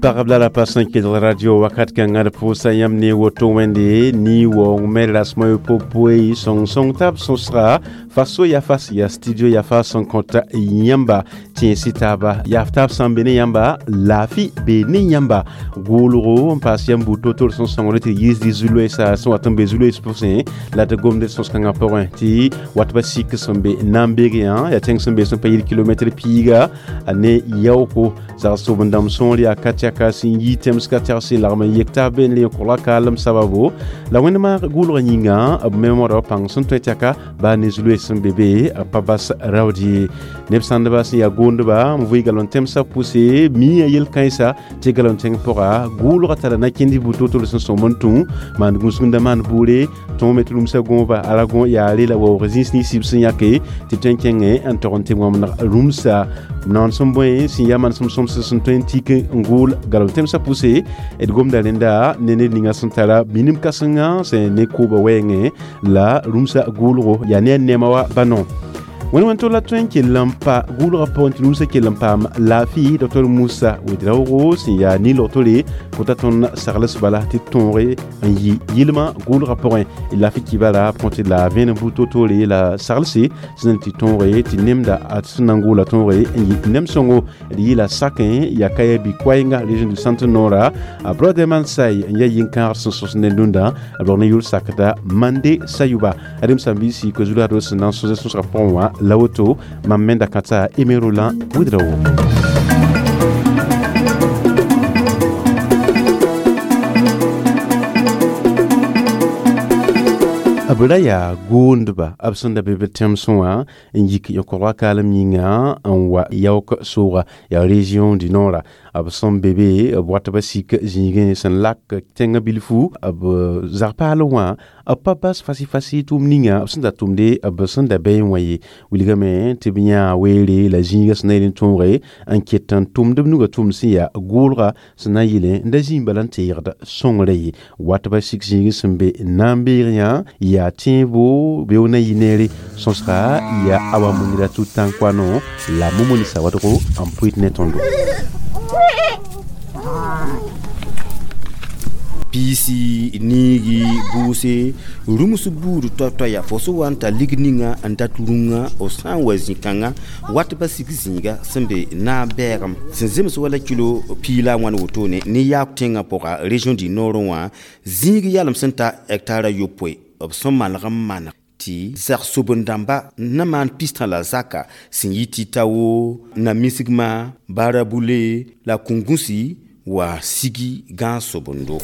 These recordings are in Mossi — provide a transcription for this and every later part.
Pagb la rapa sẽn kelg radio wakat kãngã d pʋʋsa yãmb ne woto wẽnde ni waoong me rasmã yopoe sõng-sõng tab sõsga faso ya fas ya studio ya fa sẽn kõta yãmba tẽesi taaba yaaf taab sã n be ne yãmba laafɩ be ne yãmba gʋʋlgo n paas yãmb buud to-tore sẽn sõngre tɩ yiisd zu-loeesa sẽn wat n be zu-loees pʋsẽ la tɩ gomd sõs-kãngã pʋgẽ tɩ wat ba sik sẽn be Nambegeyã yaa tẽng sẽn be sẽn pa yɩl kilomɛtr piiga ne yaooko zag-sobendãmb sõor yaa ka tɛka sẽn yi tẽmsga tɛgse lagm n yek taab be n le kogla kaalem sababo la wẽndmã gʋʋlgã yĩnga b me modg pãng sẽn tõe tɛka baa ne zu-loees sẽn be be pa bas raood ye neb sãndba sẽn yaa goondba n vʋɩ galon tẽmsã pʋse miã yel-kãensa tɩ galon tẽng pʋga gʋʋlgã tara na-kẽnd buud to-tore sẽn sõm n tũ maan gũsgẽnda maan buure tõog me tɩ rũmsã gõoba ala gõ yaare la waoog zĩis nins b sẽn yãke tɩ tõe n kẽngẽ n tog n tɩ wãmdg rũmsa naoon sẽn bõe sẽn yaa manesem sõmsd sẽn tõe n tik n gʋʋl galem tẽmsã pʋse d gomda rẽnda ne ned ninga sẽn tara minim kãsenga sẽn ne kooba wɛɛngẽ la rũmsa gʋʋlgo yaa ne a nɛɛma wa bano wẽn wẽn to la tõe n kell n pa gʋʋlgã pʋgẽ tɩ rũmsã kell n paam laafɩ Dr Musa Ouedraogo sẽn yaa nin-logtore kota tõnd sagls bala tɩ tõoge n yɩ yɩlmã gʋʋlgã pʋgẽ laafɩ kibara pʋgẽ tɩ la vẽenem buud to-toore la saglse sẽn tɩ tõoge tɩ nemda a sẽn na n gʋʋla tõoge n yɩ nem sõngo d yɩla sakẽ yaa kaya bi-koɛɛnga région du centre nord a Brotherman Say n yaa yĩn-kãagd sẽn sõs ne dũnda b rog ne yʋl sakda Mande Sayuba adem sãn-biisi ko zulado sẽn na n sõs sõsgã pʋgẽ wã la woto mam menda kãtsa Aimé Roland Ouedraogo. B ra yaa goondba b sẽn da be b tẽmsẽ wã n yik yõkogã kaalem yĩnga n wa yaook sooga yaa région du nord b sẽn be be b wat ba sik zĩigẽ sẽn lak tẽngã bilfu b zag-paal wã b pa bas fasi-fasi tʋʋm ninga b sẽn da tʋmde b sẽn da bɛɛ wã ye wilgame tɩ b yãa weere la zĩigã sẽn na yel n tõoge n ket n tʋmd b nugã tʋmd sẽn yaa gʋʋlga sẽn na n yɩle n da zĩig bala n teegd sõngrã ye wat ba sik zĩigẽ sẽn be Nambeegyã yaa tẽebo beoog na yɩ neere sõsga yaa Awa Mouniratou Tankoano la Momoni Sawadogo n pʋɩt ne tõndo. Piisi niigi bʋʋse rũms buud toa-toaya fo sẽn wa n tar lig ninga n dat rũngã f sã n wa zĩ-kãngã wat ba sik zĩiga sẽn be naab bɛɛgem sẽn zems wala kilo piig la a wãn wotone ne yaak tẽngã pʋga région du nord wã zĩig yalem sẽn ta hectare a yopoe b sẽn maneg n maneg tɩ zag-sobend-dãmba na maan pistã la zaka sẽn yɩ tɩ-tao na-misgmã barabule la kũngũsi wa sigi gãag-sobendo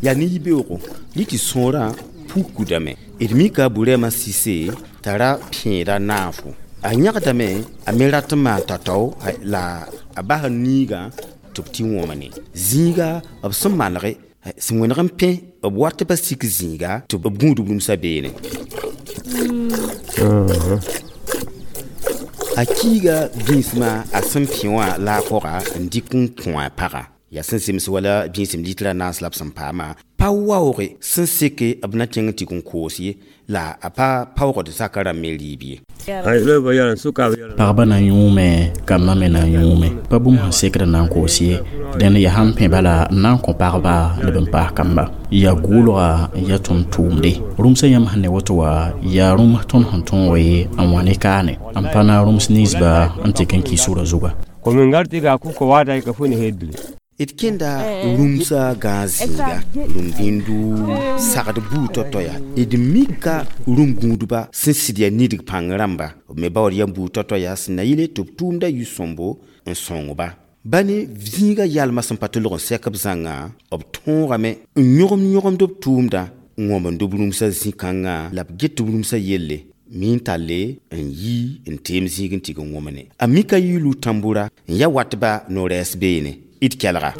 yaa ne yibeoogo rɩ tɩ sõorã pukdame d mika burɛɛmã sise t'a ra pẽeda naafo a yãgdame a me rat n maan tatao la a bas niigã tɩ b tɩ wõmne zĩiga b sẽn manege sẽn wẽneg n pẽ b wat ba sik zĩiga tɩ b gũud b rũmsã beene a kiiga bĩsmã a sẽn pẽ wã la a pʋga n dɩk n kõ a pagã yaa sẽn zems wala bĩsem litra naas la b sẽn paamã pa waooge sẽn seke b na kẽng n tɩg n koos ye la a pa paoogd zakã rãmb me rɩɩb ye. Pagba na n yũume kambã me na n yũume pa bũmb sẽn sekd n na n koos ye dẽnd yaa sãn pẽ bala n na n kõ pagba la b n paas kamba yaa gʋʋlga n yaa tõnd tʋʋmde rũmsã yãmb sẽn ne woto wã yaa rũms tõnd sẽn tõoge n wã ne kaane n pa na rũms ninsba n tɩk n kɩ sʋra zuga. D kẽnda rũmsã gãag zĩiga rũm-bĩndu sagd buud tao-tao d mika rũm-gũudba sẽn sɩd yaa nidg pãng rãmba b me baood yam buud tao-tao yaa sẽn na yɩle tɩ b tʋʋmda yʋ-sõmbo n sõng-ba ba ne zĩiga yalmã sẽn pa tɩ lg n sɛk b zãnga b tõogame n yõgem-yõgemd b tʋʋmda n wãmend b rũmsã zĩ-kãngã la b get b rũmsã yelle min talle n yi n teem zĩig n tɩg n wõmne a mika yiilu tãmbura n ya watba no-rɛɛs beene d kelga.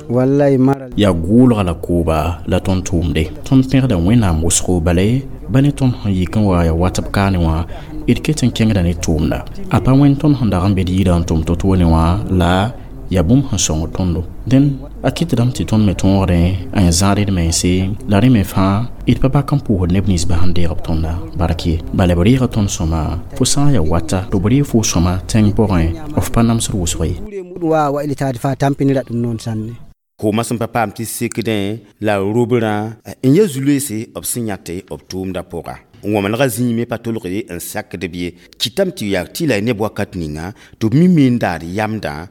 Yaa gʋʋlga la kooba la tõnd tʋʋmde tõnd pẽgda wẽnnaam wʋsgo bala ba ne tõnd sẽn yik n wa yaa wat b kaane wã d ket n kẽngda ne tʋʋmda a pa wẽnd tõnd sẽn dag n be d yirã n tʋm to-toone wã la Yaa bũmb sẽn sõng tõndo. Dẽn a kɩtdame tɩ tõnd me tõogdẽ a yẽ zãad d mense, la rẽ me fãa d pa bak n pʋʋsd neb ninsba sẽn deeg b tõnda bark ye. Bala b reega tõnd sõma, fo sã n yaa wata tɩ b reeg fo sõma tẽng pʋgẽ, f pa namsd wʋsg ye. Wa wa ilitaade fãa tãmpinra ɗum noon sanne. Kooma sẽn pa paam tɩ sekdẽ la robrã n ya zu-loeese b sẽn yãte b tʋʋmdã pʋga. Wãmenegã zĩig me pa tolg ye n sakd b ye. Kɩtame tɩ yaa tɩ la neb wakat ninga tɩ b mime n daad yamdã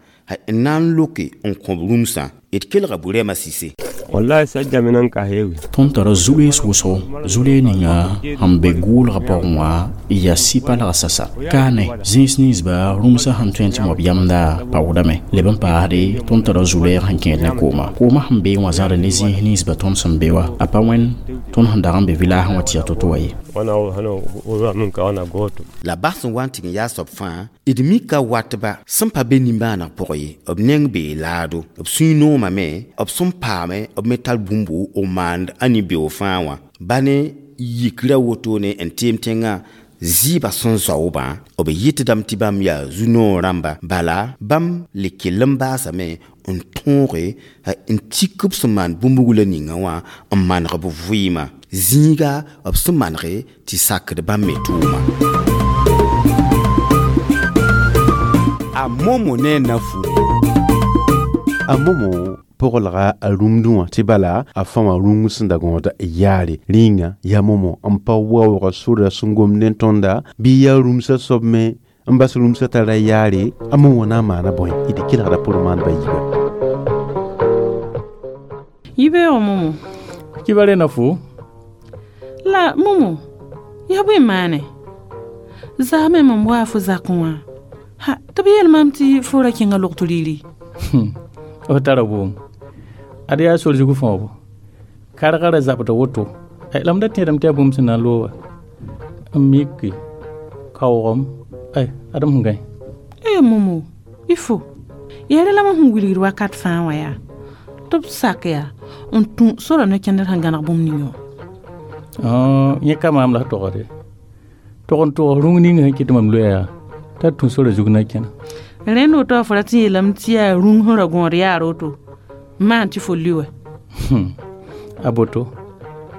n na n loke n kõ b rũmsã. D kelga burɛɛmã sise. Wallahi sajja minan ka heewi. Tõnd tara zu-loees wʋsgo, zu-loees ninga sẽn be gʋʋlgã pʋgẽ wã yaa sɩ-palga sasa. Kaane zĩis ninsba rũmsã sẽn tõe n tɩ mob yamda paoodame. Leb n paasde tõnd tara zu-loɛɛg sẽn kẽed ne kooma. Kooma sẽn bee wã zãra ne zĩis ninsba tõnd sẽn be wã. A pa wẽnd tõnd sẽn dag n be village wã tɩ yaa to-to wã ye. Wana hana wa min ka wana goto. La bas sẽn wa n tɩg n yaa soab fãa, d mika watba sẽn pa be nimbãaneg pʋgẽ ye, b neng bee laado. B sũy noomame, b sẽn paame, b me tar bũmbu b maand a nin-beoog fãa wã. Ba ne yikra wotone n teem tẽngã zɩɩbã sẽn zaoobã, b yɩtdame tɩ bãmb yaa zu-noog rãmba. Bala bãmb le kell n baasame n tõoge n tik b sẽn maan bũmb-wula ninga wã n maneg b vɩɩmã. Zĩiga b sẽn manege tɩ sakd bãmb me tʋʋma. A momo ne a nafu. A momo pʋglga a rũmdẽ wã tɩ bala a fã wã rũng sẽn da gõoda yaare. Rĩnga yaa momo n pa waoogã sora sẽn gomd ne tõnda bɩ yaa rũmsã soab me n bas rũmsã tara yaare. A momo na n maana bõe d kelgda pʋr maandbã yiibã. Yibeoogo momo. Kibare na fo. La momo, yaa bõe maane? Zaame mam waa fo zakẽ wã. Ha, tɩ b yeel maam tɩ fo ra kẽnga logto rɩɩre. F tara boom. Ad yaa sor zug fõobo. Karga ra zabda woto. La m da tẽedame tɩ yaa bũmb sẽn na n looga. N miki, kaoogem, ay, ad m sẽn gãe. E momo, y fo. Yaa rẽ la mam sẽn wilgd wakat fãa wã yaa. Tɩ b sak yaa n tũ sora no-kẽndr sẽn gãneg bũmb ning wã. Yẽ ka maam la f togde. Tog n togs rũng ning sẽn kɩt mam loeya yaa t'a tũ sora zug na kẽna. Rẽnd woto wã fo rat n yeelame tɩ yaa rũng sẽn ra gõod yaar woto n maan tɩ fo li wɛ. A boto,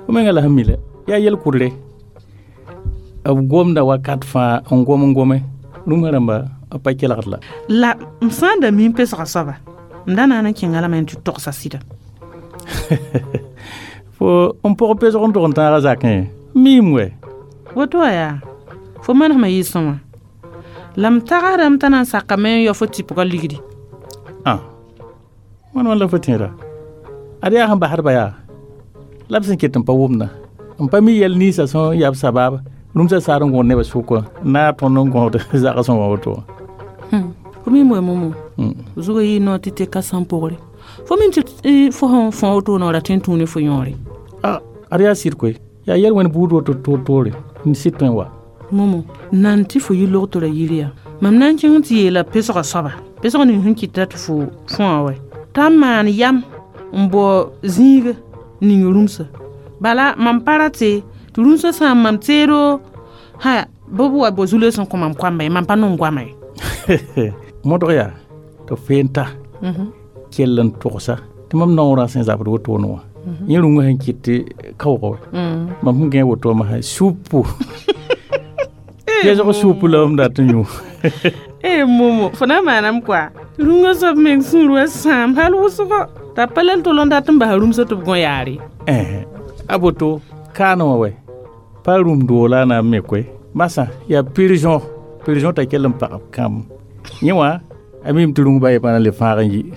fo menga la sẽn mi la, yaa yel-kʋdre. B gomda wakat fãa n gom n gome. Rũmsã rãmba b pa kelgd la. La m sã n da mi n pesga soaba, m da na n kẽnga lame n tɩ togsa sɩda. Fo n pʋg pesg n tog n tãaga zakẽ, miime wɛ. Woto wã yaa, fo manesmã yɩ sõma. La m tagsdame t'a na n sakame n yao fo tɩpgã ligdi. Ah, wãn wãn la fo tẽeda? Ad yaa sẽn basdba yaa, la b sẽn ket n pa wʋmda. N pa mi yɛl ninsã sẽn yaa b sabaab rũmsã saad n gõod nebã sʋkã n naag tõnd n gõod zagsẽ wã woto wã. Fo mim wɛ momo, zugã yɩ noor tɩ teka sãn pʋgre. Fo mim tɩ fo sẽn fõ woto noora tõe n tũu ne fo yõore. Ah, ad yaa sɩd koe. Yaa yɛl-wẽnd buud woto toor-toore n sɩd tõe n wa. Momo, nan tɩ fo yi logtora yiri yaa. Mam na n kẽng tɩ yeela pesgã soaba, pesg ning sẽn kɩta tɩ fo fõa wɛ. T'a n maan yam n bao zĩiga ning rũmsã. Bala mam pa rate tɩ rũmsã sã n mam teedo ha bɩ b wa bao zu-loees n kõ mam koamba ye, mam pa nong goama ye. Modg yaa tɩ feen ta kell n togsa tɩ mam naoorã sẽn zabd wotone wã. Yẽ rũngã sẽn kɩt tɩ kaoogã wɛ. Mam sẽn gãe woto wã masã supu. Pesg supu la m dat n yũ. E momo, fo na n maaname koa. Rũngã soab meng sũur wa sãam hal wʋsgo. T'a pa lal tol n dat n basa rũmsã tɩ b gõ yaare. A boto, kaane wã wɛ. Pa rũm doog la a na n me koe. Masã yaa prison, prison t'a kell n pag b kãmb. Yẽ wã, a mim tɩ rũng ba ye pa na n le fãag n yi.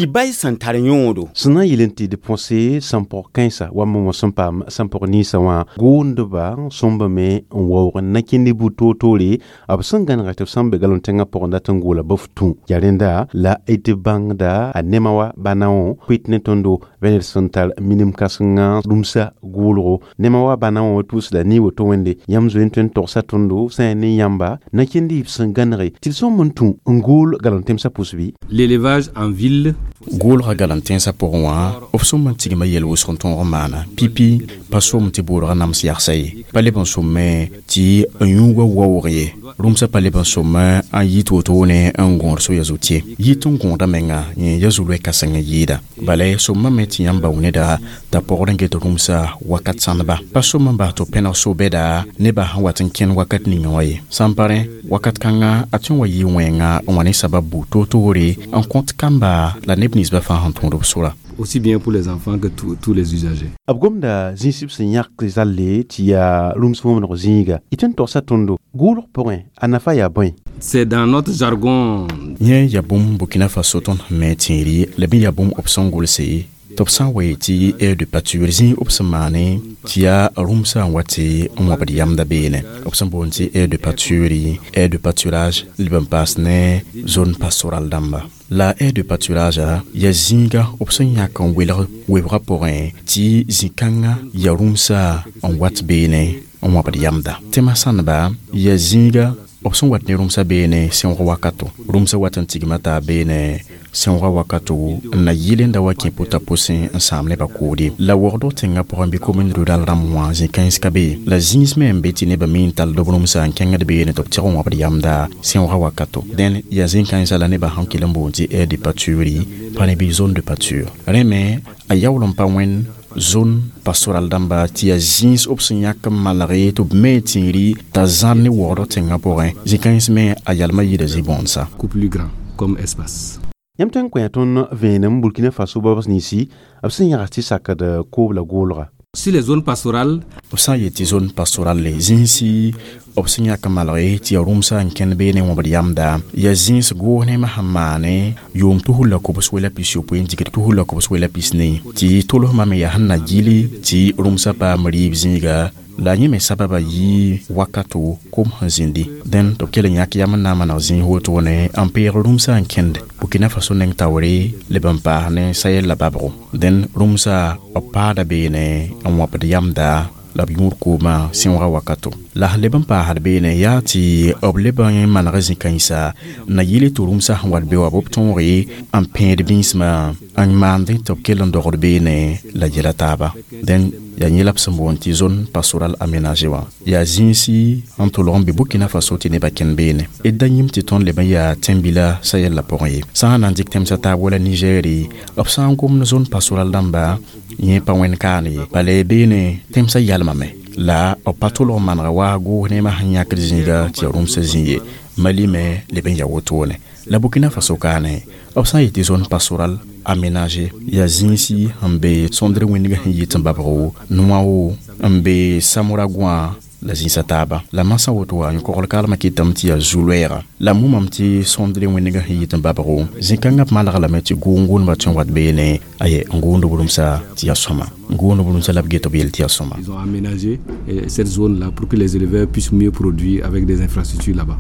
Tɩ bay sẽn tar yõodo. Sẽn na n yeel n tɩ d põse sẽn pʋg kãensa wa momo sẽn paam sẽn pʋg ninsã wã gʋʋndba sõmbame n waoog n na kẽnd buud toor-toore b sẽn gãnega tɩ b sãn be galon tẽngã pʋgẽ dat n goola bɩ f tũ. Yaa rẽnda la d bãngda a nema wa bana wã pʋɩt ne tõndo bɩ ned sẽn tar minim kãsengã rũmsa gʋʋlgo. Nema wa bana wã tʋʋsda ne woto wẽnde yãmb zoe n tõe n togsa tõndo sã n yaa ne yãmba na kẽnd y sẽn gãnege tɩ d sõmb n tũ n gool galon tẽmsã pʋs bɩ. L'élevage en ville. Gʋʋlga galam tẽnsã pʋgẽ wã b sõm n tigma yɛl wʋsg n tõog n maana pipi pa som tɩ boodgã nams yagsa ye, pa leb n sõmme tɩ n yũuga waoog ye. Rũmsã pa leb n sõm n yit wotone n gõod soya zut ye, yit n gõoda menga yẽ ya zu-loɛ kãseng n yɩɩda. Bala sõmame tɩ yãmb bao neda t'a pɔgd n get rũmsã wakat sãndba, pa sõm n bas tɩ pẽneg so-bɛda nebã sẽn wat n kẽnd wakat ninga wã ye. Sã n pa rẽ wakat kãnga a tõe n wa yɩ wẽnga n wa ne sabab bu toor-toore n kõt kamba la neb ninsbã fãa sẽn tõod b sora. Aussi bien pour les enfants que tous les usagers. B gomda zĩig b sẽn yãk zalle tɩ yaa rũms wõmdg zĩiga. Y tõe n togsa tõndo gʋʋlg pʋgẽ, a nafa yaa bõe? C'est dans notre jargon. Yẽ yaa bũmb Burkina Faso tõnd sẽn me tẽeri la bɩ yaa bũmb b sẽn gʋlse tɩ b sã n wa yetɩ aire de pâture, zĩig b sẽn maane tɩ yaa rũmsã n wa tɩ n wãbd yamda beene, b sẽn boond tɩ aire de pâture, aire de pâturage, leb n paas ne zone pastorale dãmba. La aire de pâturage yaa zĩiga b sẽn yãk n welg webgã pʋgẽ tɩ zĩ-kãngã yaa rũmsã n wat beene n wãbd yamda. Tẽmã sãndba yaa zĩiga b sẽn wat ne rũmsã beene sẽoog wakato, rũmsã wat n tigma taa beene sẽoogã wakato n na yɩl n da wa kẽ pʋta pʋsẽ n sãam nebã koode. La waoogdg tẽngã pʋgẽ bɩ commune rurale rãmb wã zĩ-kãens ka be, la zĩis me n be tɩ nebã mi n tall b rũmsã n kẽngd beene tɩ b tɩg n wãbd yamda sẽoogã wakato. Dẽn yaa zĩ-kãensã la nebã sẽn kell n boond tɩ aire de pâture, pa ne bɩ zone de pâture. Rẽ me a yaool n pa wẽnd zone pastorale dãmba tɩ yaa zĩis b sẽn yãk n malge tɩ b me tẽeri t'a zãr ne waoodg tẽngã pʋgẽ. Zĩ-kãens me a yalmã yɩɩda zĩ-bõondsa. Beaucoup plus grand comme espace. Yãmb tõe n kõ tõnd vẽenem Burkina Faso babs ninsi b sẽn yãgs tɩ sakd koob la goolga? Sur les zones pastorales, b sã n yet tɩ zone pastorale, zĩisi b sẽn yãk n malge tɩ yaa rũmsã n kẽnd beene wãbd yamda, yaa zĩis goos nemã sẽn maane yʋʋm 2094 n digd 2094 tɩ tolsmã me yaa sẽn na gili tɩ rũmsã paam rɩɩb zĩiga. La yẽ me sababa yɩ wakato kom sẽn zĩndi. Dẽn tɩ b kell n yãk yam n na n maneg zĩig wotone n peeg rũmsã n kẽnd Burkina Faso neng taoore leb n paas ne Sahel la babgo. Dẽn rũmsã b paada beene n wãbd yamda la b yũud koomã sẽoogã wakato. La sẽn leb n paasd beene yaa tɩ b leb n maneg zĩ-kãensa na yɩl tɩ rũmsã sẽn wat be wa b tõoge n pẽed bĩnsmã n maandẽ tɩ b kell n dogd beene la yɛla taaba. Dẽn yaa yẽ la b sẽn boond tɩ zone pastorale aménagée wã, yaa zĩisi n tʋlg n be Burkina Faso tɩ nebã kẽnd beene. D da yĩm tɩ tõnd leb n yaa tẽn-bila Sahel la pʋgẽ ye. Sã n na n dɩk tẽmsã taab wala Nigɛɛre, b sã n gomd zone pastorale dãmba yẽ pa wẽnd kaane ye, bala beene tẽmsã yalmame la b pa tʋlg n manega wa goos nemã sẽn yãkd zĩiga tɩ yaa rũmsã zĩ ye. Mali me leb n yaa wotone. La Burkina Faso kaane, b sã n yetɩ zone pastorale aménagée yaa zĩisi n be sõndr wĩndgã sẽn yit n babgo Noao n be Samoragõa la zĩisã taaba. La masã woto wã yõ-kogl kalmã kɩtame tɩ yaa zu-loɛɛga. La mumame tɩ sõndr wĩndgã sẽn yit n babgo zĩ-kãngã b maneg lame tɩ gʋʋn-gʋʋndbã tõe n wat beene aye n gʋʋnd b rũmsã tɩ yaa sõma, n gʋʋnd b rũmsã la b get b yel tɩ yaa sõma. Ils ont aménagé cette zone-là pour que les éleveurs puissent mieux produire avec des infrastructures là-bas.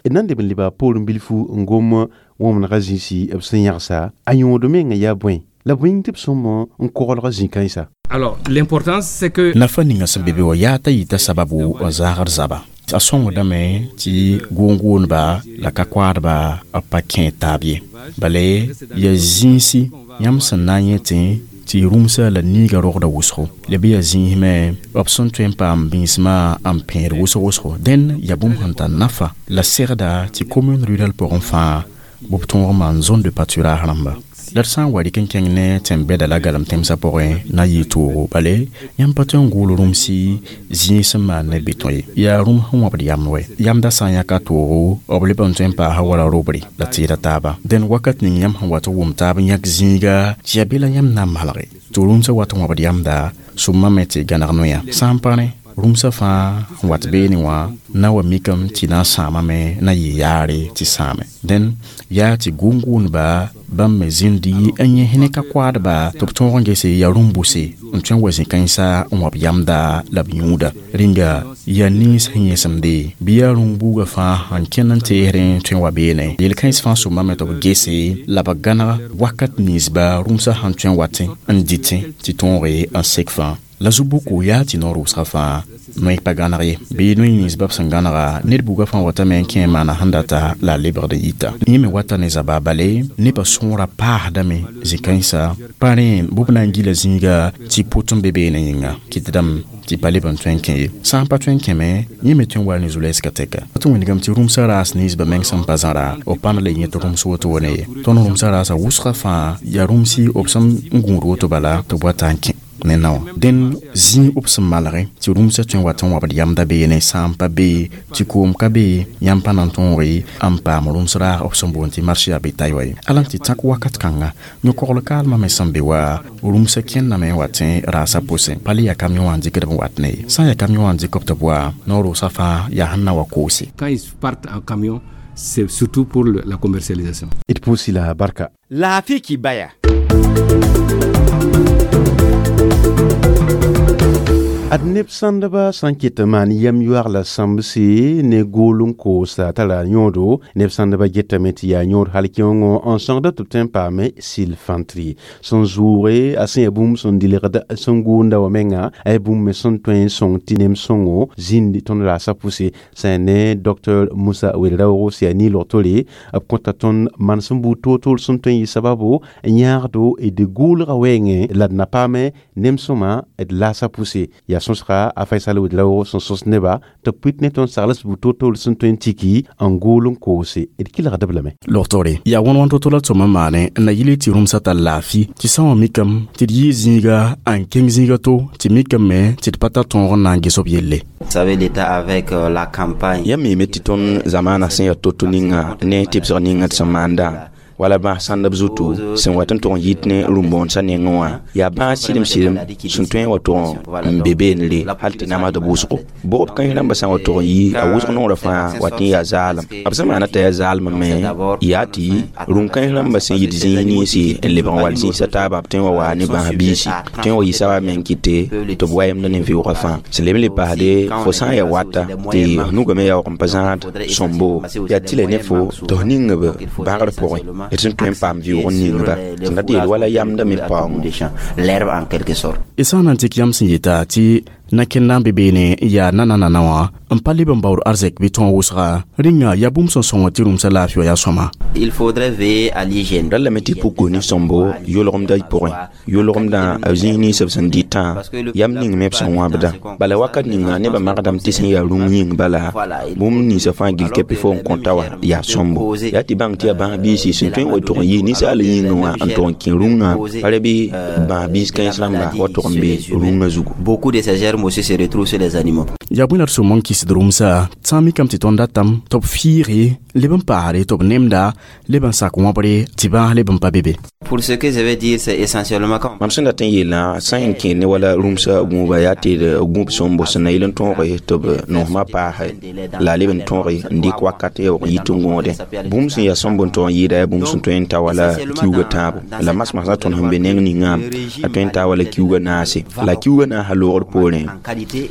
D na n leb n leba poorẽ bilfu n gom wõmdgã zĩisi b sẽn yãgsa, a yõod mengã yaa bõe la bõe tɩ b sõm n koglg zĩ-kãensa? Alors, l'importance, c'est que Nafa ninga sẽn be be wã yaa t'a yita sababu n zãagd zaba. A sõngdame tɩ gʋʋn-gʋʋndba la ka-koaadba b pa kẽ taab ye. Bala yaa zĩisi yãmb sẽn na n yẽ tɩ rũmsã la niiga rogda wʋsgo, la bɩ yaa zĩis me b sẽn tõe n paam bĩnsmã n pẽed wʋsg wʋsgo. Dẽn yaa bũmb sẽn tar nafa la segda tɩ commune rurale pʋgẽ fãa b tõog n maan zone de pâturage rãmba. La d sã n wa rɩk n kẽng ne tẽn-bɛda la galem tẽmsã pʋgẽ na n yɩ toogo, bale yãmb pa tõe n gʋʋl rũmsi zĩig sẽn maan ne betõ ye, yaa rũm sẽn wãbd yamd wɛ. Yamdã sã n yãka toogo b leb n tõe n paasa wala robre la tɩɩda taaba. Dẽn wakat ning yãmb sẽn wat n wʋm taab n yãk zĩiga tɩ yaa be la yãmb na n malge tɩ rũmsã wat n wãbd yamda sõmame me tɩ gãneg noya. Sã n pa rẽ rũmsã fãa n wat beene wã na wa mikame tɩ na n sãamame na yɩ yaare tɩ sãame. Dẽn yaa tɩ gʋʋn-gʋʋndba bãmb me zĩndi n yẽs ne ka-koaadba tɩ b tõog n gese yaa rũm-bʋse n tõe n wa zĩ-kãensã n wãb yamda la b yũuda. Rĩnga yaa nins sẽn yẽsemde bɩ yaa rũm-buugã fãa n kẽnd n teesrẽ tõe n wa beene. Yel-kãens fãa sõmame tɩ b gese la b gãneg wakat ninsba rũmsã sẽn tõe n watẽ n dɩtẽ tɩ tõoge n sek fãa. La zu-buku yaa tɩ noor wʋsga fãa noy pa gãneg ye bɩ noy nins b sẽn gãnega ned buga fãa watame n kẽ maana sẽn data la a lebgd n yita. Yẽ me wata ne zaba bale nebã sõora paasdame zĩ-kãensa pa rẽ bʋb na n gila zĩiga tɩ pʋt n be beene yĩnga kɩtdame tɩ pa leb n tõe n kẽ ye. Sã n pa tõe n kẽme, yẽ me tõe n wa ne zu-lɛɛsgã tɛka. Tɩ wĩndgame tɩ rũmsã raas ninsbã meng sẽn pa zãra b pãnd la yẽ tɩ rũms woto ne ye. Tõnd rũmsã raasã wʋsgã fãa yaa rũmsi b sẽn gũud woto bala tɩ b wata n kẽ ne naoã. Dẽn zĩig b sẽn malge tɩ rũmsã tõe n wat n wabd yamda beene sã n pa be tɩ koom ka be yãmb pa na n tõoge n paam rũms raag b sẽn boond tɩ marché a bétail wa ye. Ala tɩ tãk wakat kãnga yõ-kogl kaalmã me sẽn be wa rũmsã kẽndame n wat raasã pʋsẽ pa le yaa camion wã n dɩkd b wat ne ye. Sã n yaa camion wã n dɩk b tɩ b wa noor wʋsga fãa yaa sẽn na wa koose. Quand ils partent en camion, c'est surtout pour la commercialisation. D pʋʋs la barka. Laafɩ kibaya. Ad neb sãndba sã n ket n maan yam yoaag la sãmbse ne gool n koosa tara yõodo. Neb sãndba getame tɩ yaa yõod hal kẽongõ n sõgda tɩ b tõe n paame sɩl-fãntri sẽn zʋʋge a sẽn yaa bũmb sẽn dilgd sẽn gʋʋnda wã menga a yaa bũmb me sẽn tõe n sõng tɩ nem sõngo zĩnd tõnd raasã pʋse. Sã ne Dr Musa Ouedraogo sẽn yaa niilg tore b kõta tõnd manesem buud toor-toor sẽn tõe n yɩ sababo n yãagdo d gʋʋlgã wɛɛngẽ la d na paame nem sõma d laasã pʋse. Yaa sõsga a Faisal Ouedraogo sẽn sõs neba tɩ b pʋɩt ne tõnd sagls buud toor-toor sẽn tõe n tiki n gool n koose. D kelgd-b lame. Logtore yaa wãn-wãn to-to la tõm n maane n na yɩl tɩ rũmsã tar laafɩ tɩ sã wã mikame tɩ d yɩɩ zĩiga n kẽng zĩiga to tɩ mikame tɩ d pa tar tõog n na n ges b yelle. Vous savez, l'État avec la campagne. Yãmb miime tɩ tõnd zamaanã sẽn yaa to-to ninga ne tɩbsg ninga tɩ sẽn maanda wala bãas sãndb zutu sẽn wat n tʋg n yit ne rũm-bõodsã nengẽ wã yaa bãas sɩdem sɩdem sẽn tõe n wa tʋg n be beenre hal tɩ namsd wʋsgo. Bʋgb kãens rãmbã sã n wa tʋg n yi a wʋsg nongrã fãa wat n yaa zaalem. B sẽn maana t'a yaa zaalem me yaa tɩ rũm-kãens rãmbã sẽn yit zĩis ninsi n lebg n wall zĩisã taaba b tõe n wa waa ne bãas biisi tõe n wa yɩ sawa meng kɩte tɩ b wayemd ne vɩʋʋgã fãa. Sẽn leb n le paasde fo sã n yaa wata tɩ nugame yaoog n pa zãad sõmbo yaa tɩ la ne fo tɩ f ning b bãgr pʋgẽ d sẽn tõe n paam vɩʋʋg n ningba sẽn dat yeel wala yamda me paoongo. L'herbe en quelque sorte. Y sã n na n tɩk yãmb sẽn yeta tɩ na-kẽnda n be beene n yaa nanãnana wã n pa leb n baood arzɛk bɩ tõog wʋsga rĩnga yaa bũmb sẽn sõng tɩ rũmsã laafɩ wã yaa sõma. Il faudrait veiller à l'hygiène. Ra lame tɩ puk ne sõmbo yʋlgemdã pʋgẽ yʋlgemdã b zĩis nins b sẽn dɩtã yam ning me b sẽn wãbdã. Bala wakat ninga nebã magdame tɩ sẽn yaa rũng yĩng bala bũmb ninsã fãa gill kɛpɩ fo n kõta wã yaa sõmbo. Yaa tɩ bãng tɩ yaa bãas biisi sẽn tõe n wa tʋg n yɩ ninsaal yĩngẽ wã n tʋg n kẽ rũngã pa ra bɩ bãas biis kãens rãmba wa tʋg n be rũngã zugu. Beaucoup de ces germes aussi se retrouvent sur les animaux. Yaa bõe la d sõm n kɩsd rũmsã sã n mikame tɩ tõnd datame tɩ b fiige leb n paasre tɩ b nemda leb n sak wãbre tɩ bãas leb n pa be be. Pour ce que je vais dire, c'est essentiellement quand Mam sẽn dat n yeelã sã n kẽ ne wala rũmsã gũuba yaa tɩ d gũub sõmbo sẽn na yɩl n tõoge tɩ b nosmã paase la a leb n tõoge n dɩk wakat yaoog n yit n gõodẽ. Bũmb sẽn yaa sõmb n tog n yɩɩda yaa bũmb sẽn tõe n ta wala kiuugã tãabo. La masmasã tõnd sẽn be neng ninga a tõe n taa wala kiuugã naase. La kiuugã naasã loogr poorẽ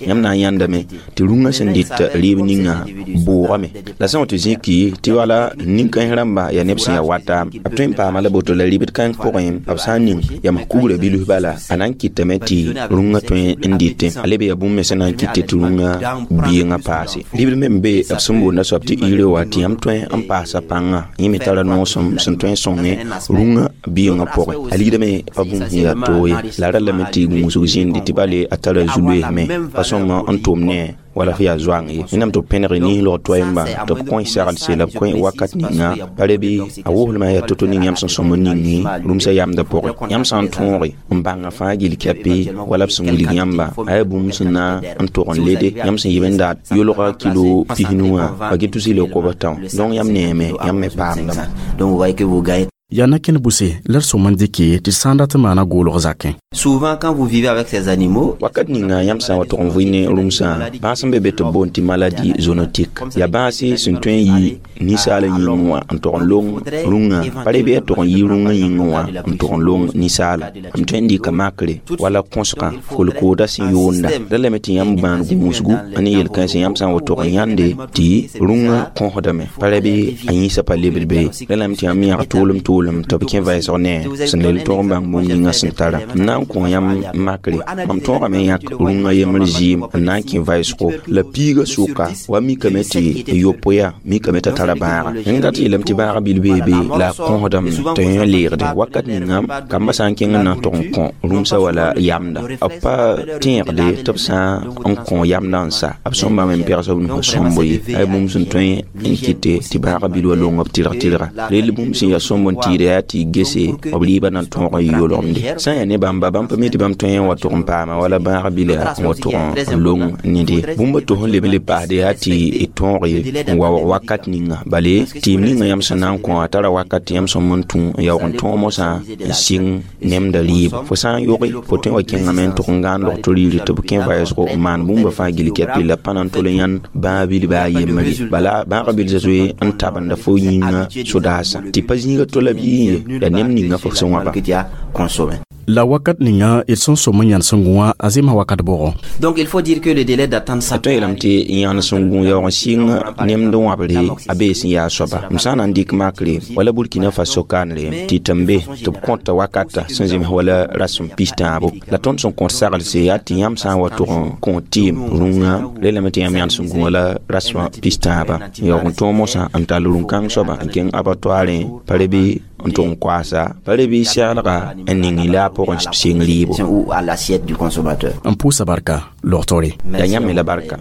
yãmb na n yãndame tɩ rũngã sẽn dɩt rɩɩb ninga bʋʋgame. La sã n wa tɩ zĩki tɩ wala nin-kãens rãmba yaa neb sẽn yaa wata b tõe n paama la boto la rɩbd kãng pʋgẽ b sã n ning yam kugrã bilf bala a na n kɩtame tɩ rũngã tõe n dɩtẽ a leb yaa bũmb me sẽn na n kɩte tɩ rũngã biengã paase. Rɩbd me n be b sẽn boonda soab tɩ ire wa tɩ yãmb tõe n paasa pãngã yẽ me tara noosem sẽn tõe n sõnge rũngã biengã pʋgẽ. A ligdame pa bũmb sẽn yaa toog ye la ra lame tɩ gũusg zĩndi tɩ bale a tara zu-loeesme pa sõma n tʋm ne wala f yaa zoang ye. Wẽnnaam tɩ b pẽneg nislg toɛɛmba tɩ b kõ saglse la b kõ wakat ninga pa re bɩ a woslmã yaa to-to ning yãmb sẽn sõm n ningi rũmsã yamdã pʋgẽ. Yãmb sã n tõoge n bãnga fãa gill kɛpɩ wala b sẽn wilg yãmba a yaa bũmb sẽn na n tʋg n lede yãmb sẽn yib n dat yʋlga kilo pisnu wã a get tus yel kob tão. Donc yãmb neeme yãmb me paamdame. Donc vous voyez que vous gagnez. Yaa na-kẽnd bʋse la d sõm n dɩke tɩ sã n dat n maana goolg zakẽ. Souvent quand vous vivez avec ces animaux, wakat ninga yãmb sã n wa tʋg n vɩ ne rũmsã bãas sẽn be be tɩ b boond tɩ maladie zoonotique yaa bãase sẽn tõe n yɩ ninsaal yĩngẽ wã n tʋg n long rũngã pa re bɩ yaa tʋg n yɩ rũngã yĩngẽ wã n tʋg n long ninsaala. M tõe n dɩka makre wala kõsgã kolkooda sẽn yoonda ra lame tɩ yãmb gbãan gũusgu ne yel-kãensẽ yãmb sã n wa tʋg n yãnde tɩ rũngã kõsdame pa ra bɩ a yĩnsã pa lebd be ra lame tɩ yãmb yãg tʋʋlem tʋʋlem tɩ b kẽ vɛɛsg ne sẽn lel tʋg n bãng bũmb ninga sẽn tara. M na n n kõ yãmb makre mam tõogame n yãk rũngã yembr zɩɩm n na n kẽ vɩʋsgo la piigã sʋka wa mikame tɩ yopoe mikame t'a tara bãaga yẽng dat yeelame tɩ bãaga bil bee be la a kõsdame tɩ yẽ leegde wakat ninga kambã sã n kẽng n na n tʋg n kõ rũmsã wala yamda b pa tẽegde tɩ b sã n kõ yamdã n sa b sõm bãmb n pɛgs b nusã sõmbo ye ay bũmb sẽn tõe n kɩte tɩ bãaga bil wa long b tɩlg tɩlga rel bũmb sẽn yaa sõmb n tɩɩda yaa tɩ gese b rɩɩbã na n tõog n yolgemde sã n yaa ne bãmba bãmb pa mi tɩ bãmb tõe n wa tʋg n paama wala bãag bila n wa tʋg n long nede bũmb to sẽn leb n le paasde yaa tɩ d tõog n waoog wakat ninga bale tɩɩm ninga yãmb sẽn na n kõ a tara wakat tɩ yãmb sõm n tũ n yaoog n tõog mosã n sɩng nemda rɩɩb fo sã n yoge fo tõe wa kẽngame n tʋg n gãan logto riiri tɩ b kẽ vɩʋsgo n maan bũmba fãa gill kɛpɩ la pa na n tol n yãnd bãag bilba a yembre bala bãaga bil zoe n tabenda fo yĩnga sodaasã tɩ pa zĩiga tola bɩ yẽ ye la nem ninga fo sẽn wãba. La wakat ninga d sẽn sõm n yãnd sẽn gũ wã a zemsa wakat bʋgɔ. Donc il faut dire que le délai d'attente a tõe yeelame tɩ yãnd sẽn gũ yaoog n sɩng nemd wãbre a bee sẽn yaa soaba m sã n na n dɩk makre wala Burkina Faso kaanre tɩ tɩ n be tɩ b kõta wakata sẽn zems wala rasem pis-tãabo la tõnd sẽn kõt saglse yaa tɩ yãmb sã n wa tʋg n kõ tɩɩm rũngã relame tɩ yãmb yãnd sẽn gũ wala rasmã pis-tãaba n yaoog n tõog mosã n tall rũn-kãng soaba n kẽng abattoirẽ pa re bɩ n tʋg n koaasa pa re bɩ seglga n ning la a pʋgẽ sɩng rɩɩbo. Ou à l'assiette du consommateur. N pʋʋsa barka logtore. Yaa yãmb me la barka.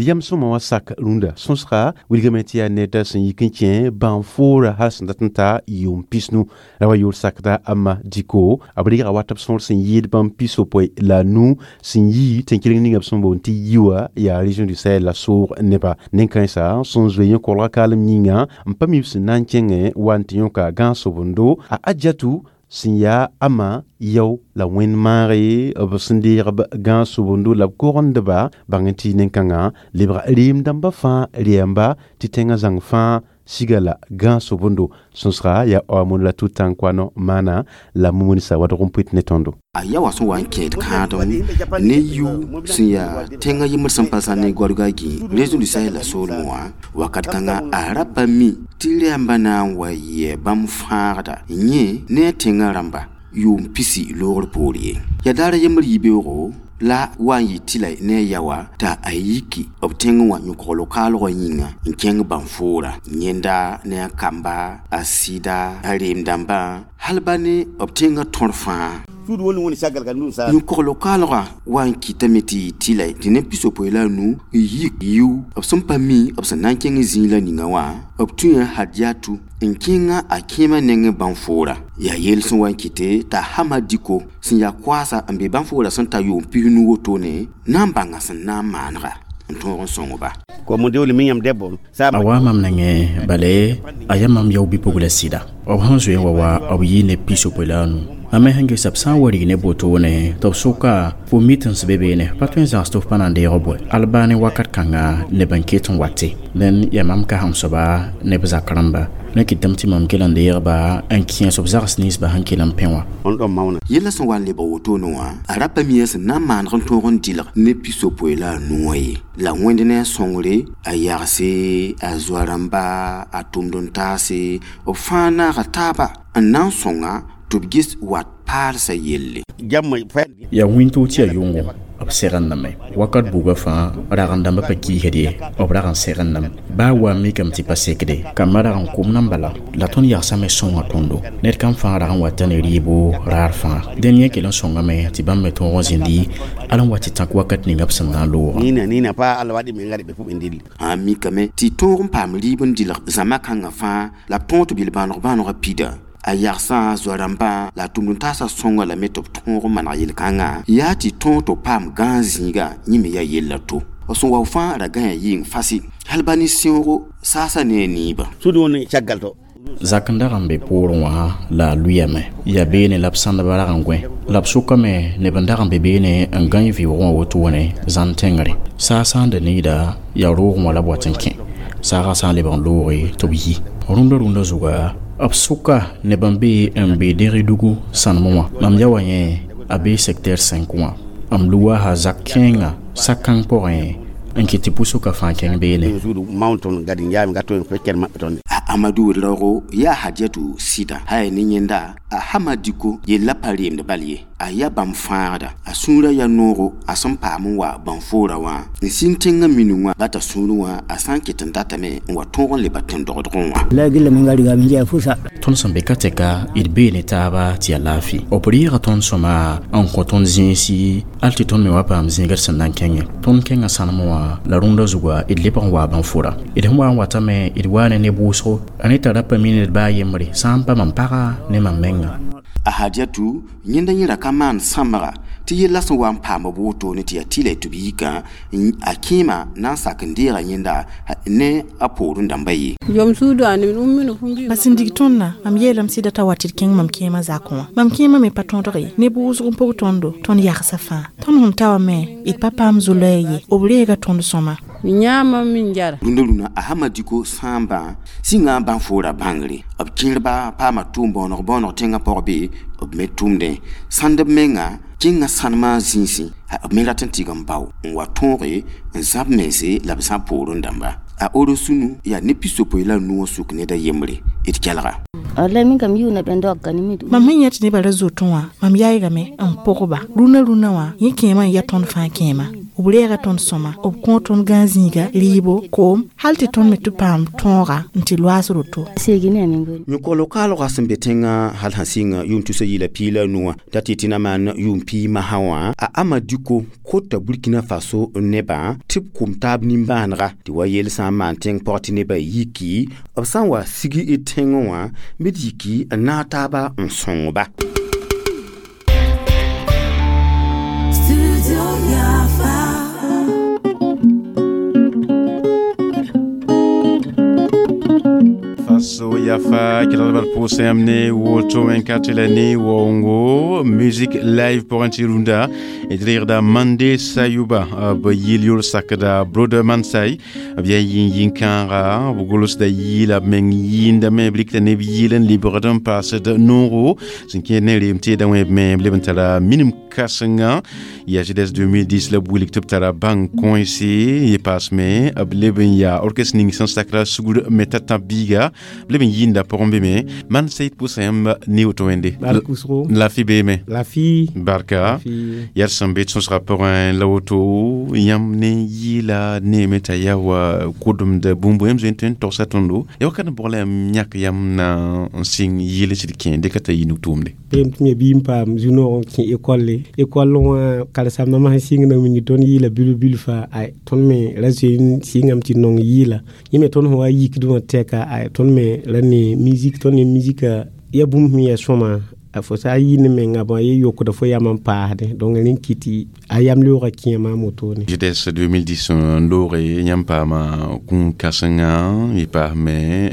Yam sõma wã sak rũndã sõsga wilgame tɩ yaa ned sẽn yik n kẽ bãn-foora hal sẽn dat n ta yʋʋm pisnu ra wa yʋʋr sakda Ama Diko b reega wat b sõor sẽn yɩɩd bãmb 65 sẽn yi tẽn-keleng ninga b sẽn boond tɩ yiwa yaa région du Sahel la soog neba nen-kãensã sẽn zoe yẽ kolga kaalem yĩnga n pa mi b sẽn na n kẽngẽ wa n tɩ yõka gãag-sobendo a Adjatu sẽn yaa Ama yao la wẽnd maage b sẽn deeg b gãag-sobendo la b kogendba bãng n tɩ nen-kãngã lebga reem dãmba fãa rɛɛmba tɩ tẽngã zãng fãa siga la gãag-sobendo sõsga yaa Aamon la Tutankouano maana la Mumunisa wadg n pʋɩt ne tõndo. A ya wa sẽn wa n kẽed kãadem ne yiu sẽn yaa tẽngã yembr sẽn pa zã ne goadga gĩ région du Sahel la soolmẽ wã wakat kãngã a ra pa mi tɩ rɛɛmbã na n wa yɛ bãmb fãagda yẽ ne a tẽngã rãmba yʋʋm pisi loogr poor ye yaa daar a yembr yibeoogo la wa n yɩ tɩ la ne a yawa t'a a yiki b tẽngẽ wã yõkogl kaalgã yĩnga n kẽng bãn-foora yẽnda ne a kamba a sɩda a reem-dãmbã hal ba ne b tẽngã tõr fãa. Yõkogl kaalgã wa n kɩtame tɩ yɩ tɩ la tɩ neb 65 n yik yiu b sẽn pa mi b sẽn na n kẽng zĩig la ninga wã b tũyã Hadiatu n kẽnga a kẽemã nengẽ bãn-foora yaa yell sẽn wa n kɩte t'a Hama Diko sẽn yaa koaasa n be bãn-foora sẽn ta yʋʋm 90 wotone na n bãnga sẽn na n maanega n tõog n sõng-ba. A wa mam nengẽ bale a yaa mam yao bi-pugla sɩda b sẽn zoe n wa wa b yɩ ne 65. Mam me sẽn ges b sã n wa rig ne botone tɩ b sʋka fo mi tɩ n sbe beene pa tõe n zãgs tɩ f pa na n deeg bɔe al baa ne wakat kãnga neb n ket n wate dẽn yaa mam kasem soaba ne b zak rãmba ne kɩtame tɩ mam kell n deegba n kẽes b zags ninsba sẽn kell n pẽ wã. Yella sẽn wa n lebg wotone wã a ra pa mi sẽn na n maaneg n tõog n dɩlg ne 65 wã ye la wẽnd ne a sõngre a yagse a zoa rãmba a tʋmd n taase b fãa naaga taaba n na n sõnga tɩ b ges wat paalsã yelle. Yaa wĩntoog tɩ yaa yʋngo b segndame wakat buga fãa rag-n-dãmbã pa kiisd ye b rag n segndame baa wa n mikame tɩ pa sekde kambã rag n kom nan bala la tõnd yagsame sõnga tõndo ned kam fãa rag n wata ne rɩɩbo raar fãa dẽn yẽ kell n sõngame tɩ bãmb me tõog n zĩndi al n wa tɩ tãk wakat ninga b sẽn na n loogã. A mikame tɩ tõog n paam rɩɩb n dɩlg zãma kãngã fãa la b tõog tɩ bil bãaneg bãanegã pida a yagsã zoa rãmbã la a tʋmd n taasã sõnga lame tɩ b tõog n maneg yel-kãngã yaa tɩ tõog tɩ b paam gãag zĩiga yẽ me yaa yella to b sẽn wa fãa ra gãya yɩng fasɩ hal ba ne sẽoogo saasa ne a niibã. Zak n dag n be poorẽ wã la a lʋyame yaa beene la b sãndba rag n gõe la b sʋkame neb n dag n be beene n gãe vɩʋʋgẽ wã wotone zãn tẽngre saa sã n da needa yaa roogẽ wã la b wat n kẽ saagã sã n lebg n looge tɩ b yi rũndã rũndã zuga b sʋka neb n be n be Dɛrɩdugu sãnem wã mam ya wa yẽ a bee secteur 5 wã m luwa zak kẽenga sak-kãng pʋgẽ n kɩt tɩ pʋsʋka fãa kẽng beene. A Amadu Ouedraogo yaa Hadiatu sɩda haya ne yẽnda a Hama Diko yella pa reemd bal ye a yaa bãmb fãagda a sũurã yaa noogo a sẽn paam n wa bãn-foorã wã n sĩng tẽngã minung wã bata sũurẽ wã a sã n ket n datame n wa tõog n leba tẽn-dogdgẽ wã. Tõnd sẽn be ka tɛka d bee ne taaba tɩ yaa laafɩ b reega tõnd sõma n kõ tõnd zĩisi hal tɩ tõnd me wa paam zĩigd sẽn na n kẽngẽ tõnd kẽngã sãnem wã la rũndã zuga d lebg n waa bãn-fora d sẽn wa n watame d waa ne neb wʋsgo a ne tara pa mi ned baa yembre sã n pa mam paga ne mam menga. A Hadiatu yẽnda yẽ ra ka maan sãmbga tɩ yella sẽn wa n paam b wotone tɩ yaa tɩla tɩ b yikã a kẽema na n sak n deega yẽnda ne a poorẽ dãmba ye. Ba sẽn dig tõndã mam yeelame sɩda t'a wa tɩ d kẽng mam kẽemã zakẽ wã mam kẽemã me pa tõdg ye neb wʋsg n pʋg tõndo tõnd yagsã fãa tõnd sẽn ta wã me d pa paam zo-loɛɛ ye b reega tõnd sõma. Rũndã rũnã a Hama Diko sãambã sĩnga bãn-foorã bãngre b kẽerba paama tʋʋm bõoneg bõoneg tẽngã pʋg be b me tʋʋmdẽ sãnd b menga kẽngã sãnemã zĩisẽ b me rat n tɩg n bao n wa tõoge n zãb mense la b zãb poorẽ dãmba a oro sũnu yaa ne pisopoe la a nuwã sʋk ned a yembre d kelga. Mam sẽn yã tɩ nebã ra zotẽ wã mam yaoogame n pʋgba rũnã rũnã wã yẽ kẽemã n ya tõnd fãa kẽema b reega tõnd sõma b kõ tõnd gãan-zĩiga rɩɩbo koom hal tɩ tõnd me tɩ paam tõoga n tɩ loaas roto. Yõkolo kaalgã sẽn be tẽngã hal sã sɩnga yʋʋm tusa yɩla piig la nu wã t'a tɩ tɩ na maan yʋʋm piig masã wã a Amadiko kota Burkina Faso nebã tɩ b kʋm taab nimbãanega tɩ wa yel sã n maan tẽng pʋg tɩ nebã yiki b sã n wa sigi d tẽngẽ wã b d yiki n naag taaba n sõng-ba. Faso Yafa kelgd pʋʋsã yãmb ne woto wẽn-kat la ne waoongo musique live pʋgẽ tɩ rũndã d reegda Mande Sayuba b yɩl yol sakda Brother Mansai b yaa yĩn-yĩn-kãaga b gʋlsda yɩɩla b meng yɩɩndame b rɩkda neb yɩɩl n lebgd n paasd noogo sẽn kẽed ne reem teedã wẽ b me b leb n tara minim kãsenga yaa GDS 2010 la b wilg tɩ b tara bãng kõese yẽ paasme b leb n yaa orchestre ning sẽn sakra sugr me t'a tãb biiga b leb n yĩnda pʋgẽ be me man said pʋʋsã yãmb ne woto wẽnde lafi beeme barka yaa d sẽn be d sõsga pʋgẽ la woto yãmb ne yɩɩla neeme t'a yaa wa kʋdemd bũmb yãmb zoe n tõe n togsa tõndo ya wakat n bʋg la yãmb yãk yãmb na n sɩng yɩɩl sɩd kẽ dɩka t'a yɩ nug-tʋʋmde. Beem tɩ me bii n paam zu-noog n kẽ école école wã karen-saambã sẽn sɩng na wilg tõnd yɩɩla bil bil faa ay tõnd me ra zoe n sɩngame tɩ nong yɩɩla yẽ me tõnd sẽn wa yikd wã tɛka ay tõnd me ra ne musique tõnd ne musique ya bũmb sẽn yaa sõma fo sã n yɩ ne menga bõe ye yokda fo yam n paasdẽ donc rẽ kɩt a yam leoogã kẽe maam wotone. GDS 2010 n looge yãmb paama kũun-kãsenga y paasme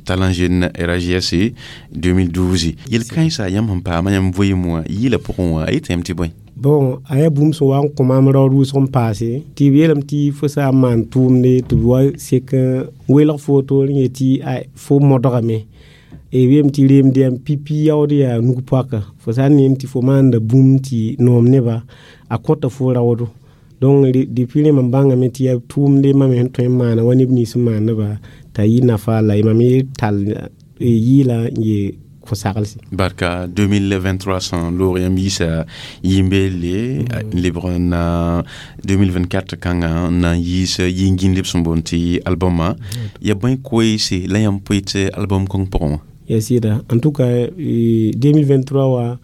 Talent Jeune RAJS 2012 yel-kãensã yãmb sẽn paama yãmb vɩɩm wã yɩɩla pʋgẽ wã a yeta yãmb tɩ bõe. Bon a yaa bũmb sẽn wa n kõ maam raood wʋsg n paase tɩ b yeelame tɩ fo sã n maan tʋʋmde tɩ b wa sek n welg fo woto rẽ yetɩ fo modgame b yeelame tɩ reemd yam pipi yaood yaa nug-poaka fo sã n neem tɩ fo maanda bũmb tɩ noom neba a kõta fo raoodo donc depuis rẽ mam bãngame tɩ yaa tʋʋmde mam sẽn tõe n maana wa neb nins n maandba t'a yɩ nafa la mam ye tall yɩɩla n ye kõ-saglse. Barka 2023 sẽn loog yãmb yiisa yĩmbeelle n lebg na 2024 kãngã n na n yiis yĩn-gĩndb sẽn boond tɩ albɔmã ya bõe koeese la yãmb poe tɩ albɔm kõng pʋgẽ wã. Ya sɩda en tout cas 2023 wã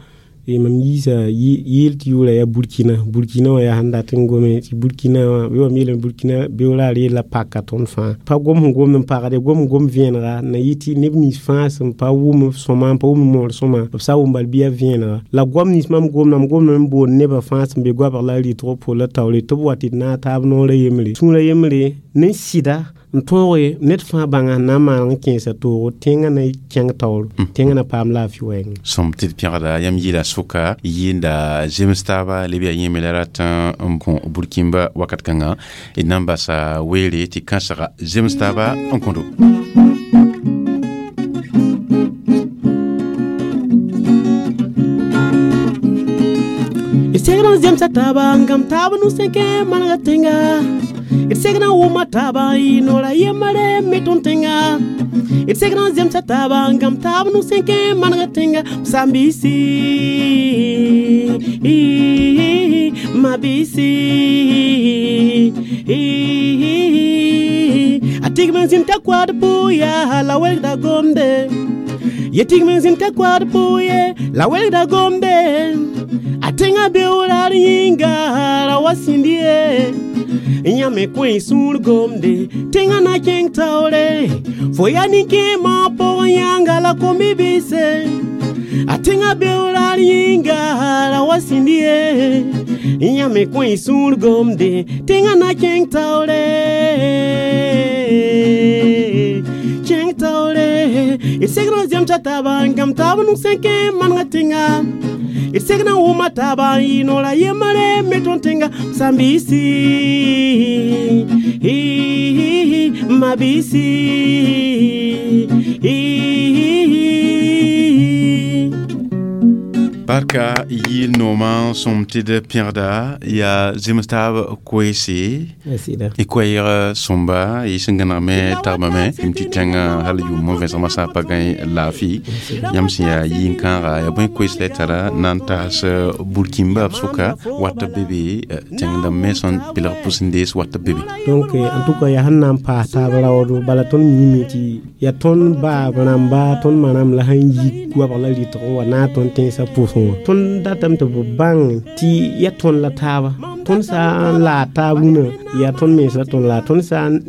mam yiisa yɩɩl tɩ yʋʋra yaa Burkina Burkina wã yaa sẽn dat n gome tɩ Burkina wã bɩ wam yeelame Burkina beoora reela paka tõnd fãa pa gom sẽn gomd n pagde gom gom vẽenega na yɩ tɩ neb nins fãa sẽn pa wʋm sõma n pa wʋm moor sõma b sa wʋm bal bɩ yaa vẽenega la goam nins mam gomda mam gomdame n boond nebã fãa sẽn be goabg la rɩtg po la taoore tɩ b wa tɩ d naag taab noorã yembre sũurã yembre ne sɩda n tõoge ned fãa bãnga sẽn na n maaneg n kẽesa toogo tẽngã na kẽng taoor tẽngã na paam laafɩ wɛɛngẽ. Sõm tɩ d pẽgda yãmb yɩɩla sʋka yɩɩnda zems taaba leb yaa yẽme la rat n kõ burkĩmba wakat kãngã d na n basa weere tɩ kãsega zems taaba n kõdo. D segd n zemsa taaba n gãmb taab nus sẽn kẽ manega tẽnga. D segd n wʋma taaba n yɩ noora yembre me tõnd tẽnga. D segd n zemsa taaba n gãmb taab nug sẽn kẽ n maneg tẽnga. Sambisi, mabisi, a tigm n zĩnd t'a koaad pʋʋya la welgda gomde. Ye tigm n zĩnd t'a koaad pʋʋye la welgda gomde. A tẽngã beoor yĩnga ra wa sĩnd ye. Yãmb kõ y sũur gomde tẽngã na kẽng taoore. Fo yaa nin-kẽemã pʋgẽ yãnga la kom-bi-bɩse. A tẽngã beoor yĩnga ra wa sĩnd ye. Yãmb kõ y sũur gomde tẽngã na kẽng taoore. Kẽng taoore. D segd n zemsa taaba n gãmb taab nug sẽn kẽ n maneg tẽnga. D segd n wʋma taaba n yɩ noora yembre me tõnd tẽnga. Sambisi, mabisi. Barka yɩɩl noomã sõm tɩ d pẽgda yaa zems taab koeese y koɛɛg sõmba y sẽn gãnegme tagbame m tɩ tẽngã hal yʋʋm vẽsgmã sã n pa gãe laafɩ yãmb sẽn yaa yɩ-kãaga yaa bõe koees la y tara na n taas burkĩmba b sʋka wat b be be tẽng dãmb me sẽn pelg pʋs n dees wat b be be. Donc en tout cas yaa sẽn na n paas taab raoodo bala tõnd miime tɩ yaa tõnd baab rãmba tõnd ma rãmb la sẽn yi goabg la rɩtg n wa naag tõnd tẽnsã pʋsẽ wã. Tõnd datame tɩ b bãng tɩ yaa tõnd la taaba. Tõnd sã n laag taab rũnã yaa tõnd mens la tõnd laag. Tõnd sã n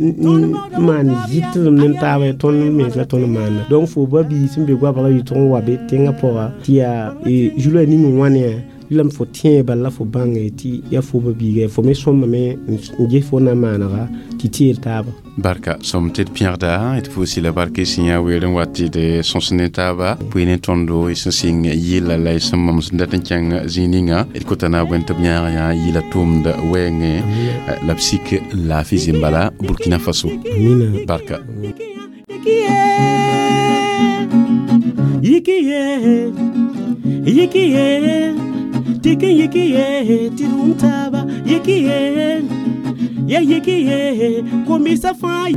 maan zɩtdem ne taaba yaa tõnd mens la tõnd maana. Donc fo ba biig sẽn be goabg la rɩtg n wa be tẽngã pʋga tɩ yaa zulã ning n wãne yã lame fo tẽe bala la fo bãnge tɩ yaa fo ba biiga fo me sõmbame n ges fo na maanega tɩ teel taaba. Barka sõm tɩ d pẽgda d pʋʋs la barka y sẽn yaa weer n wat tɩ d sõs ne taaba bʋɩ ne tõndo y sẽn sɩng yɩla la y sẽn mam sẽn dat n kẽng zĩig ninga d kota na bõe tɩ b yãag yã yɩla tʋʋmd wɛɛngẽ la b sik laafɩ zĩm-bala Burkina Faso. Barka. Yikiye, yikiye, tɩk n yikiye tɩ d wʋm taaba. Yikiye, ya yikiye, kombisa fãa.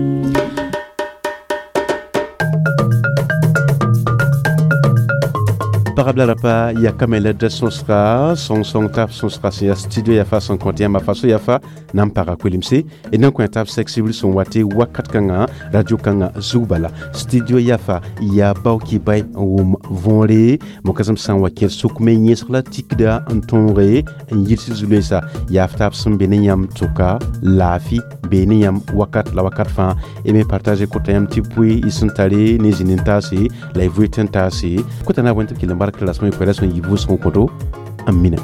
Pagb la rapa yakame la d sõsga sõng-sõng tab sõsga sẽn yaa studio yafa sẽn kõt yãmba faso yafa na n paga koelemse d na n kõ tab sɛk sibr sẽn wa tɩ wakat kãngã radio kãngã zug bala studio yafa yaa baoki bay n wʋm võore mokasem sã n wa kẽer sʋk me yẽsg la tikda n tõoge n yids zu-loeesa yaa f taab sẽn be ne yãmb tʋka laafɩ be ne yãmb wakat la wakat fãa y me partage kota yãmb tɩ pʋɩ y sẽn tare ne zĩnd n taase la y vʋɩ tɩ n taase kota na b wẽn tɩ b kell n bark rasmã y koɛɛla sẽn yɩ vʋʋsg n kõto n mina.